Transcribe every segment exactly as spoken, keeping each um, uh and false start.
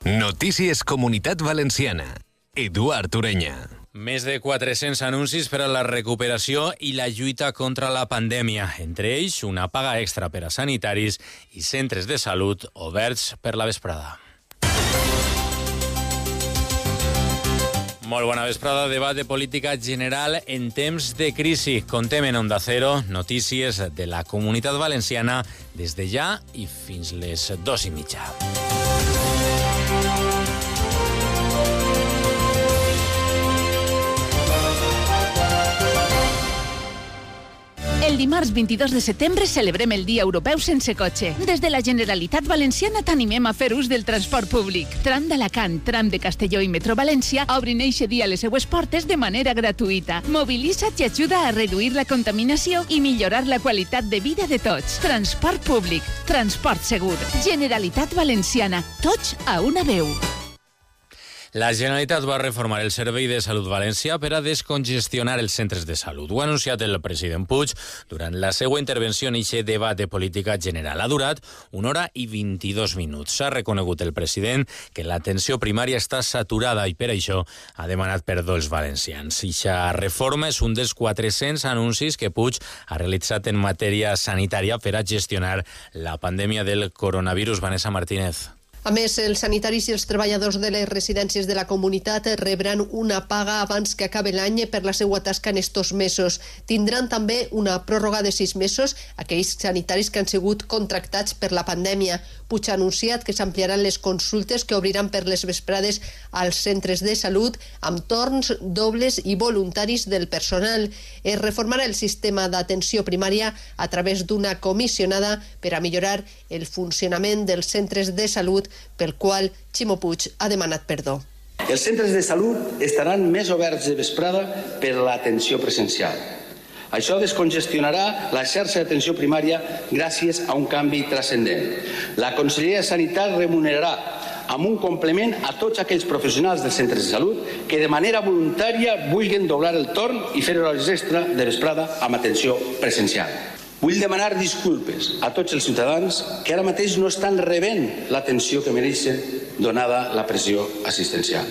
Notícies Comunitat Valenciana. Eduard Ureña. Més de quatre-cents anuncis per a la recuperació i la lluita contra la pandèmia. Entre ells, una paga extra per a sanitaris i centres de salut oberts per la vesprada. Molt bona vesprada. Debat de política general en temps de crisi. Contem en Onda Cero notícies de la Comunitat Valenciana des de ja i fins les dos i mitja. El dimarts vint-i-dos de setembre celebrem el Dia Europeu sense cotxe. Des de la Generalitat Valenciana t'animem a fer ús del transport públic. Tram d'Alacant, tram de Castelló i Metro València obrin eixe dia les seues portes de manera gratuïta. Mobilitza't i ajuda a reduir la contaminació i millorar la qualitat de vida de tots. Transport públic, transport segur. Generalitat Valenciana, tots a una veu. La Generalitat va reformar el Servei de Salut València per a descongestionar els centres de salut. Ho ha anunciat el president Puig durant la seva intervenció en aquest debat de política general. Ha durat una hora i vint-i-dos minuts. S'ha reconegut el president que l'atenció primària està saturada i per això ha demanat perdó als valencians. Eixa reforma és un dels quatre-cents anuncis que Puig ha realitzat en matèria sanitària per a gestionar la pandèmia del coronavirus. Vanessa Martínez. A més, els sanitaris i els treballadors de les residències de la comunitat rebran una paga abans que acabe l'any per la seva tasca en estos mesos. Tindran també una pròrroga de sis mesos aquells sanitaris que han sigut contractats per la pandèmia. Puig ha anunciat que s'ampliaran les consultes que obriran per les vesprades als centres de salut amb torns dobles i voluntaris del personal. Es reformarà el sistema d'atenció primària a través d'una comissionada per a millorar el funcionament dels centres de salut, pel qual Ximo Puig ha demanat perdó. Els centres de salut estaran més oberts de vesprada per a l'atenció presencial. Això descongestionarà la xarxa d'atenció primària gràcies a un canvi transcendent. La Conselleria de Sanitat remunerarà amb un complement a tots aquells professionals dels centres de salut que de manera voluntària vulguin doblar el torn i fer hores extra de vesprada amb atenció presencial. Vull demanar disculpes a tots els ciutadans que ara mateix no estan rebent l'atenció que mereixen donada la pressió assistencial.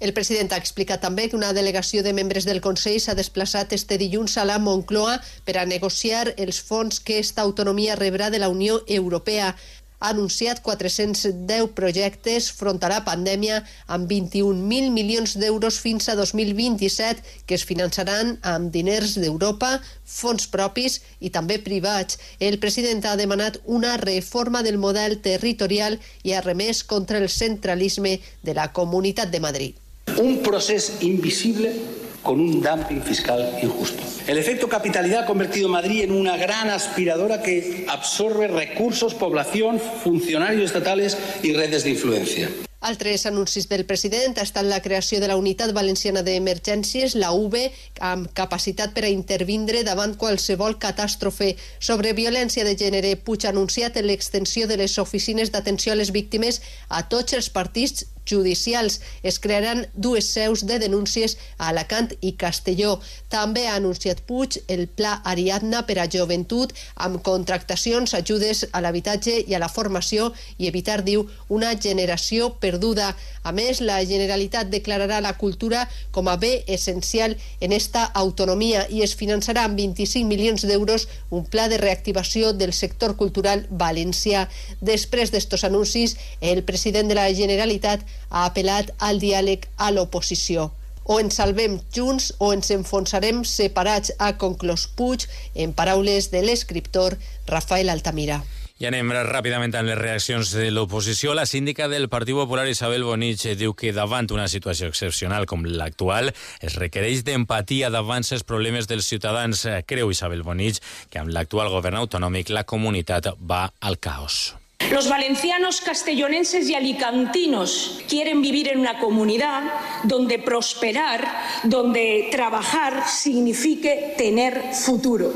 El president ha explicat també que una delegació de membres del Consell s'ha desplaçat este dilluns a la Moncloa per a negociar els fons que esta autonomia rebrà de la Unió Europea. Ha anunciat quatre-cents deu projectes front a la pandèmia amb vint-i-un mil milions d'euros fins a dos mil vint-i-set que es finançaran amb diners d'Europa, fons propis i també privats. El president ha demanat una reforma del model territorial i ha remès contra el centralisme de la Comunitat de Madrid. Un procés invisible con un dumping fiscal injusto. El efecto capitalidad ha convertido a Madrid en una gran aspiradora que absorbe recursos, población, funcionarios estatales y redes de influencia. Altres anuncis del president ha estat la creació de la Unitat Valenciana d'Emergències, la U V, amb capacitat per a intervindre davant qualsevol catàstrofe. Sobre violència de gènere, Puig ha anunciat l'extensió de les oficines d'atenció a les víctimes a tots els partits judicials. Es crearan dues seus de denúncies a Alacant i Castelló. També ha anunciat Puig el Pla Ariadna per a joventut amb contractacions, ajudes a l'habitatge i a la formació i evitar, diu, una generació perduda. A més, la Generalitat declararà la cultura com a bé essencial en esta autonomia i es finançarà amb vint-i-cinc milions d'euros un pla de reactivació del sector cultural valencià. Després d'estos anuncis, el president de la Generalitat ha apel·lat al diàleg a l'oposició. O ens salvem junts o ens enfonsarem separats, ha conclòs Puig en paraules de l'escriptor Rafael Altamira. I anem ràpidament amb les reaccions de l'oposició. La síndica del Partit Popular, Isabel Bonich, diu que davant una situació excepcional com l'actual es requereix d'empatia davant els problemes dels ciutadans. Creu Isabel Bonich que amb l'actual govern autonòmic la comunitat va al caos. Los valencianos, castellonenses y alicantinos quieren vivir en una comunidad donde prosperar, donde trabajar signifique tener futuro.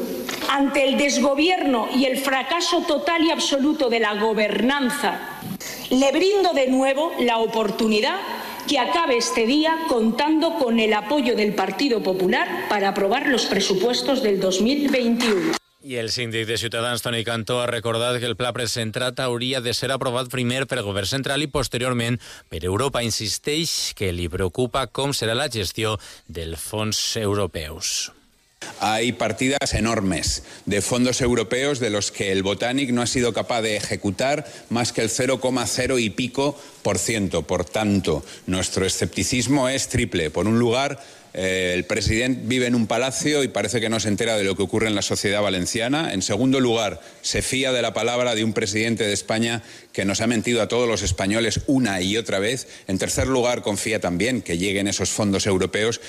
Ante el desgobierno y el fracaso total y absoluto de la gobernanza, le brindo de nuevo la oportunidad que acabe este día contando con el apoyo del Partido Popular para aprobar los presupuestos del dos mil veintiuno. I el síndic de Ciutadans, Toni Cantó, ha recordat que el pla presentat hauria de ser aprovat primer pel govern central i posteriorment per Europa. Insisteix que li preocupa com serà la gestió dels fons europeus. Hay partidas enormes de fondos europeos de los que el Botanic no ha sido capaz de ejecutar más que el cero coma cero y pico por ciento. Por tanto, nuestro escepticismo es triple. Por un lugar, eh, el presidente vive en un palacio y parece que no se entera de lo que ocurre en la sociedad valenciana. En segundo lugar, se fía de la palabra de un presidente de España que nos ha mentido a todos los españoles una y otra vez. En tercer lugar, confía también que lleguen esos fondos europeos.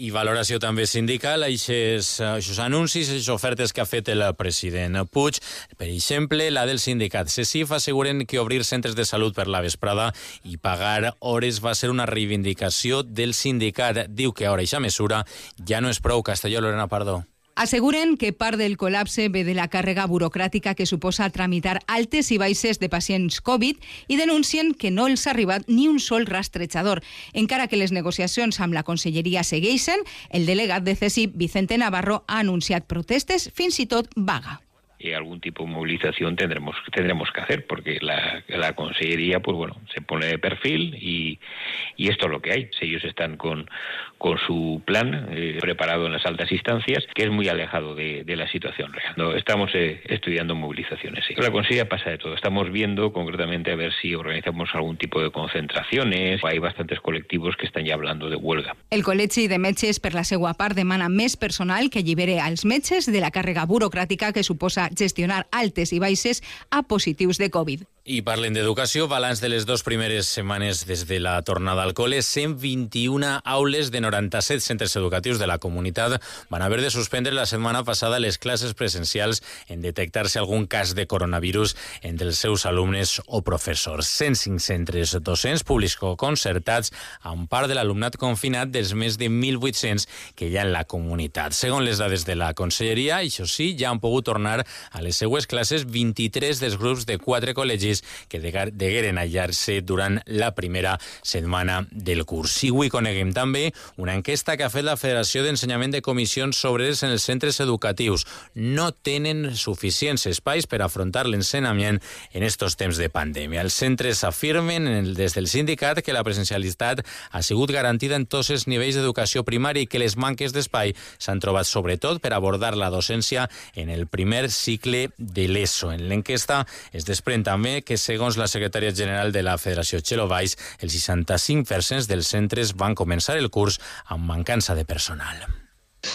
I valoració també sindical a aquests anuncis, aquestes ofertes que ha fet el president Puig. Per exemple, la del sindicat CESIF asseguren que obrir centres de salut per la vesprada i pagar hores va ser una reivindicació del sindicat. Diu que ara aquesta mesura ja no és prou. Castelló, Lorena Pardo. Asseguren que part del col·lapse ve de la càrrega burocràtica que suposa tramitar altes i baixes de pacients Covid i denuncien que no els ha arribat ni un sol rastrejador. Encara que les negociacions amb la conselleria segueixen, el delegat de CESIF, Vicente Navarro, ha anunciat protestes, fins i tot vaga. Y algún tipo de movilización tendremos tendremos que hacer, porque la, la consellería pues bueno se pone de perfil y, y esto es lo que hay. Si ellos están con, con su plan eh, preparado en las altas instancias, que es muy alejado de, de la situación real. No, estamos eh, estudiando movilizaciones. Sí. La consellería pasa de todo. Estamos viendo concretamente a ver si organizamos algún tipo de concentraciones. Hay bastantes colectivos que están ya hablando de huelga. El Col·legi de Metges, per la seva part, demana més personal que allibere als metges de la càrrega burocràtica que suposa gestionar altes i baixes a positius de Covid. I parlen d'educació, balanç de les dues primeres setmanes des de la tornada al col·le. cent vint-i-una aules de noranta-set centres educatius de la comunitat van haver de suspendre la setmana passada les classes presencials en detectar-se algun cas de coronavirus entre els seus alumnes o professors. cent cinc centres docents públics o concertats amb part de l'alumnat confinat dels més de mil vuit-cents que hi ha en la comunitat. Segons les dades de la conselleria, això sí, ja han pogut tornar a les seues classes vint-i-tres dels grups de quatre col·legis que degueren aïllar-se durant la primera setmana del curs. I avui coneguem també una enquesta que ha fet la Federació d'Ensenyament de Comissions Obreres en els centres educatius. No tenen suficients espais per afrontar l'ensenyament en estos temps de pandèmia. Els centres afirmen des del sindicat que la presencialitat ha sigut garantida en tots els nivells d'educació primària i que les manques d'espai s'han trobat sobretot per abordar la docència en el primer cicle de l'ESO. En l'enquesta es desprèn també que, segons la secretària general de la Federació, Txelo Valls, el seixanta-cinc per cent dels centres van començar el curs amb mancança de personal.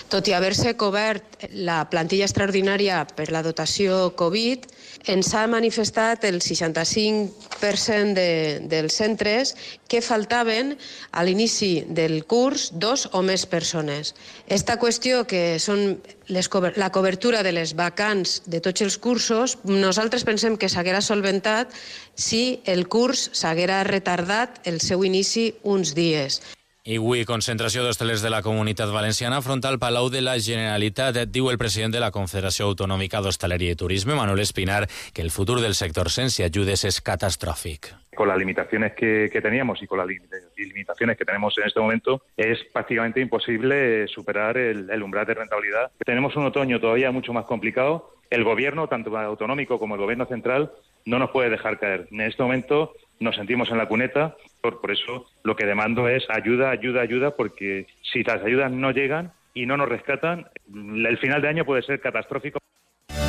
Tot i haver-se cobert la plantilla extraordinària per la dotació Covid, ens ha manifestat el seixanta-cinc per cent de, dels centres que faltaven a l'inici del curs dos o més persones. Esta qüestió, que són les, la cobertura de les vacants de tots els cursos, nosaltres pensem que s'haguera solventat si el curs s'haguera retardat el seu inici uns dies. I avui concentració d'hostalers de la Comunitat Valenciana front al Palau de la Generalitat. Diu el president de la Confederació Autonòmica d'Hostaleria i Turisme, Manuel Espinar, que el futur del sector sense ajudes es catastrófic. Con las limitaciones que, que teníamos y con las limitaciones que tenemos en este momento, es prácticamente imposible superar el, el umbral de rentabilidad. Tenemos un otoño todavía mucho más complicado. El gobierno, tanto autonómico como el gobierno central, no nos puede dejar caer. En este momento nos sentimos en la cuneta, por, por eso lo que demando es ayuda, ayuda, ayuda, porque si las ayudas no llegan y no nos rescatan, el final de año puede ser catastrófico.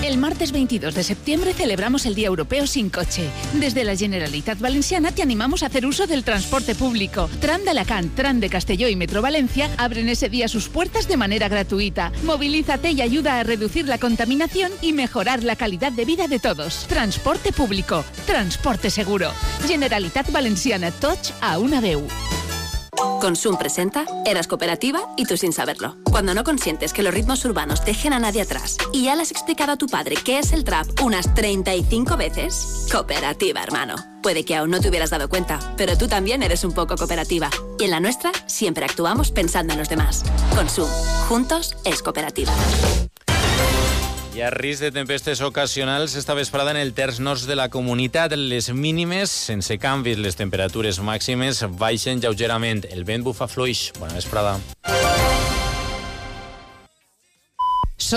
El martes veintidós de septiembre celebramos el Día Europeo sin coche. Desde la Generalitat Valenciana te animamos a hacer uso del transporte público. Tram de Alacant, Tram de Castelló y Metro Valencia abren ese día sus puertas de manera gratuita. Movilízate y ayuda a reducir la contaminación y mejorar la calidad de vida de todos. Transporte público, transporte seguro. Generalitat Valenciana, tots a una veu. Consum presenta Eras cooperativa y tú sin saberlo. Cuando no consientes que los ritmos urbanos dejen a nadie atrás y ya le has explicado a tu padre qué es el trap unas treinta y cinco veces, cooperativa, hermano. Puede que aún no te hubieras dado cuenta, pero tú también eres un poco cooperativa. Y en la nuestra siempre actuamos pensando en los demás. Consum. Juntos es cooperativa. Hi ha risc de tempestes ocasionals esta vesprada en el terç nord de la comunitat. Les mínimes, sense canvis, les temperatures màximes baixen lleugerament. El vent bufa fluix. Bona vesprada.